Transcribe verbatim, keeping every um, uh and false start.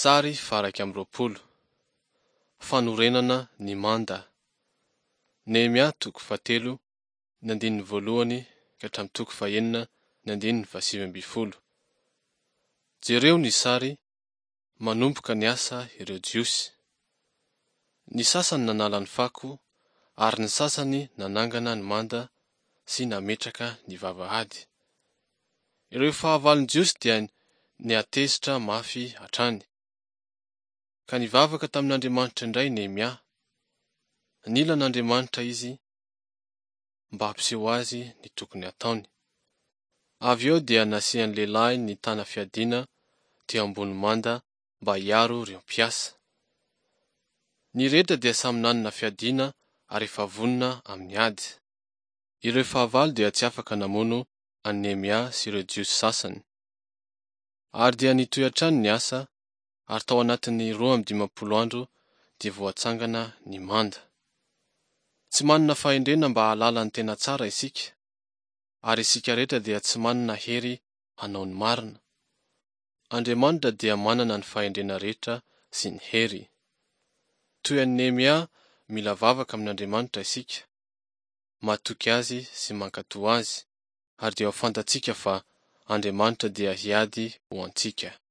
Sary faha-iraika amby roapolo. Fanorenana ny manda. Nehemia toko fahatelo, ny andininy voalohany ka hatramin'ny toko fahenina, ny andininy fahasivy ambin'ny folo. Jereo ny sary, manomboka ny asa ireo Jiosy. Ny sasany nanala ny fako, ary ny sasany nanangana ny manda sy nametraka ny vavahady. Ireo fahavalon'ny Jiosy dia nihatezitra mafy hatrany. Ka nivavaka tamin'Andriamanitra indray Nehemia. Nila an'Andriamanitra izy mba hampiseho azy ny tokony hataony. Avy eo dia nasian'ny lehilahy nitana fiadiana teo ambony manda mba hiaro ireo mpiasa. Ny rehetra dia samy nanana fiadiana ary efa vonona amin'ny ady. Ireo fahavalo dia tsy afaka namono an'i Nehemia sy ireo Jiosy sasany. Ary dia nitohy hatrany ny asa, ary tao anatin'ny roa amby dimampolo andro dia voatsangana ny manda. Tsy manana fahendrena mba hahalala ny tena tsara isika, ary isika rehetra dia tsy manana hery hanao ny marina. Andriamanitra dia manana ny fahendrena rehetra sy ny hery. Toy an'i Nehemia, mila vavaka amin'Andriamanitra isika, matoky Azy sy mankatò Azy, ary dia ho fantatsika fa Andriamanitra dia hiady ho antsika.